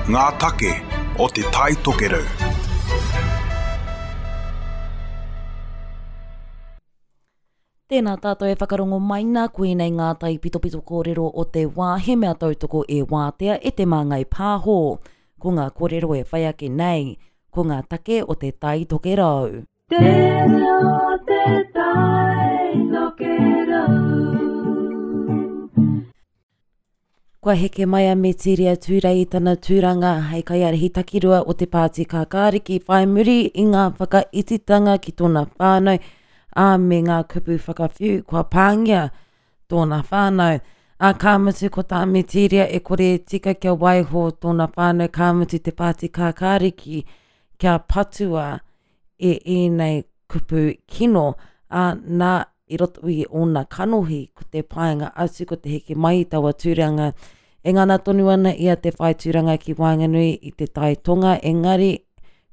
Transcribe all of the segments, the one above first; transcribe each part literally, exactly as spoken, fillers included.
Ngā take o Te Tai Tokerau. Tēnā tātou e whakarongo mai nā, koinei ngā taipitopito kōrero o te wā, he mea tautoko e Wātea e Te Māngai Pāho. Ko ngā kōrero e whai ake nei, ko ngā take o Te Tai Tokerau. Te reo te tai tokerau. Kua heke mai a Metiria Turei i tana tūranga hei kaiārahi takirua o te Pāti Kākāriki whai muri i ngā whakaititanga ki tōna whānau, ā, me ngā kupu whakawhiu kua pāngia tōna whānau. Ā, ka mutu ko tā Metiria e kore e tika kia waiho tōna whānau, ka mutu te Pāti Kākāriki kia patua e ēnei kupu kino, ā, nā, i roto i ōna kanohi, ko te painga atu, ko te heke mai i taua tūranga. E ngana tonu ana ia te whai tūranga ki waenganui i te Tai Tonga, engari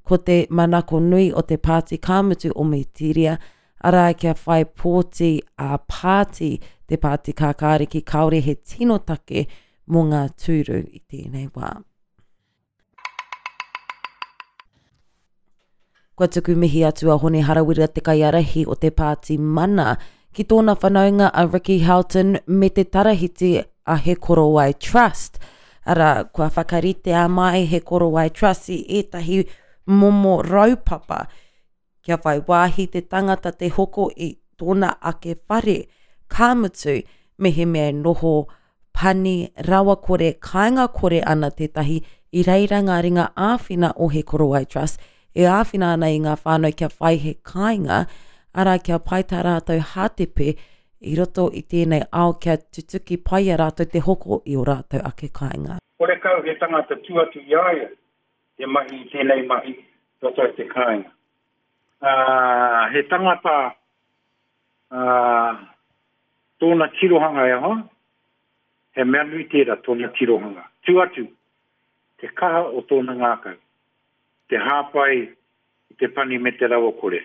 ko te manako nui o te pāti ka mutu o Metiria, arā kia whai pōti ā-pāti te Pāti Kākāriki, kāore he tino take mō ngā tūru i tēnei wā. Kua tuku mihi atu a Hone Harawira te kaiārahi o te Pāti Mana ki tōna whanaunga a Ricky Houghton me te tarahiti a He Korowai Trust. Arā, kua whakaritea mai He Korowai Trust i ētahi momo raupapa kia whai wāhi te tangata te hoko i tōna ake whare, ka mutu, mehemea e noho pani rawakore, kāinga-kore ana tētahi, i reira ngā ringa āwhina o He Korowai Trust e āwhina ana i ngā whānau kia whai he kāinga, arā kia pai tā rātou hātepe i roto i tēnei ao kia tutuki pai i a rātou te hoko i ō rātou ake kāinga. Horekau he tangata tū atu i a ia te mahi i tēnei mahi roto i te kāinga. Ā, he tangata, ā, tōna tirohanga e hoa, he mea nui tērā tōna tirohanga. Tū atu, te kaha o tōna ngākau, te hāpai i te pani me te rawakore.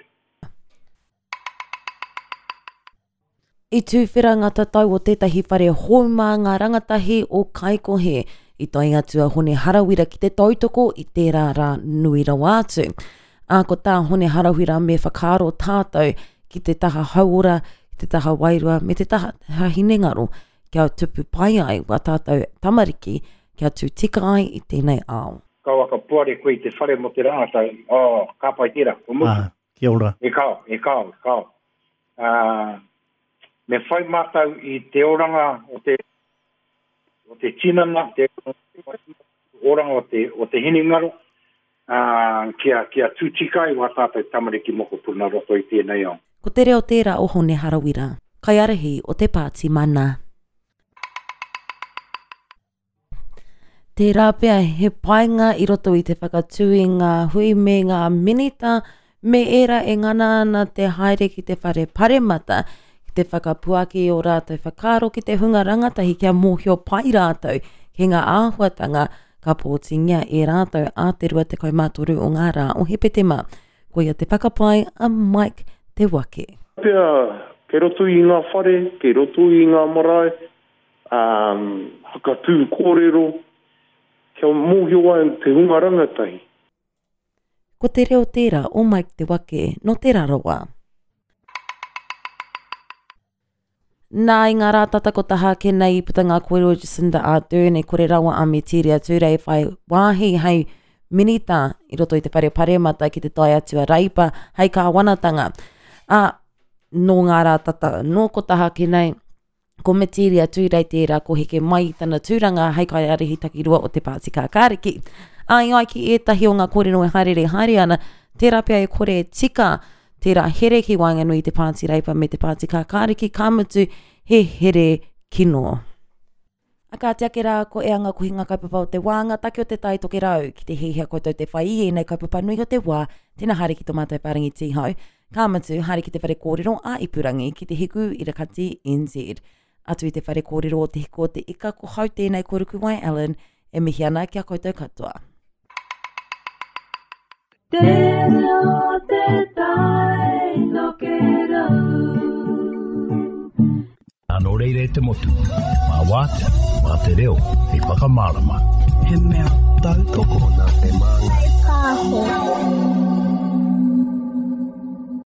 I tuwhera ngā tatau o tētahi whare hou mā ngā rangatahi o Kaikohe. I tae atu a Hone Harawira ki te tautoko i tērā rā nui rawa atu. Ā, ko tā Hone Harawira me whakaaro tātou ki te taha hauora, ki te taha wairua me te taha hinengaro kia tupu pai ai wā tātou tamariki kia tū tika ai i tēnei ao. Kaua ka poari koe i te whare mō te rangatahi, oh, ka pai tērā, kua mutu. Ah, kia ora. E kao, e kao, e kao. Uh, me whai mātou i te oranga o te, o te tinana, te oranga o te, o te hinengaro, uh, kia, kia tū tika ai wā tātou tamariki mokopuna roto i tēnei ao. Ko te reo tērā o Hone Harawira, kaiārahi o te Pāti Mana. Tērā pea he painga i roto i te whakatū i ngā hui me ngā minita me ērā e ngana ana te haere ki te whare paremata, ki te whakapuaki i ō rātou whakaaro ki te hunga rangatahi kia mōhio pai rātou ki ngā āhuatanga ka pōtingia e rātou ā te rua tekau mā toru o ngā rā o Hepetema. Koia te whakapae a Mike Te Wake. Pea, kei roto i ngā whare, kei roto i ngā marae, um, hakatū kōrero, kia mōhio ai te hunga rangatahi. Ko te reo tērā o Mike Te Wake nō Te Rarawa. Nā, i ngā rā tata ko taha ake nei i puta ngā kōrero Jacinda Ardern e kore rawa a Metiria Turei whai wāhi hei minita i roto i te whare paremata ki te tae atu a Reipa hei kāwanatanga. Ā, nō ngā rā tata nō ko taha ake nei, ko Metiria Turei tērā ko heke mai i tana tūranga hei kaiārahi takirua o te Pāti Kākāriki. Ā, i ai ki ētahi o ngā kōrero e haerere haere ana, tērā pea e kore e tika tērā here ki waenganui i te Pāti Reipa me te Pāti Kākāriki, ka mutu he here kino. A kāti ake rā, ko e anga kohinga kaupapa o te wā, ngā take o te Tai Tokerau. Ki te hiahia koutou te whai i ēnei kaupapa nui o te wā, tēnā haere ki tō mātou whārangi tīhau, ka mutu, haere ki te whare kōrero a ipurangi ki te Hiku Irakati N Z. Atu i te whare kōrero o Te Hiku o te Ika, ko hau tēnei ko Rukuwai Allen, e mihi ana ki a koutou katoa. Te reo te tai tokerau. Nō reira e te motu, mā wātea, mā te reo, hei whakamārama. He mea tautoko Nā te māngai.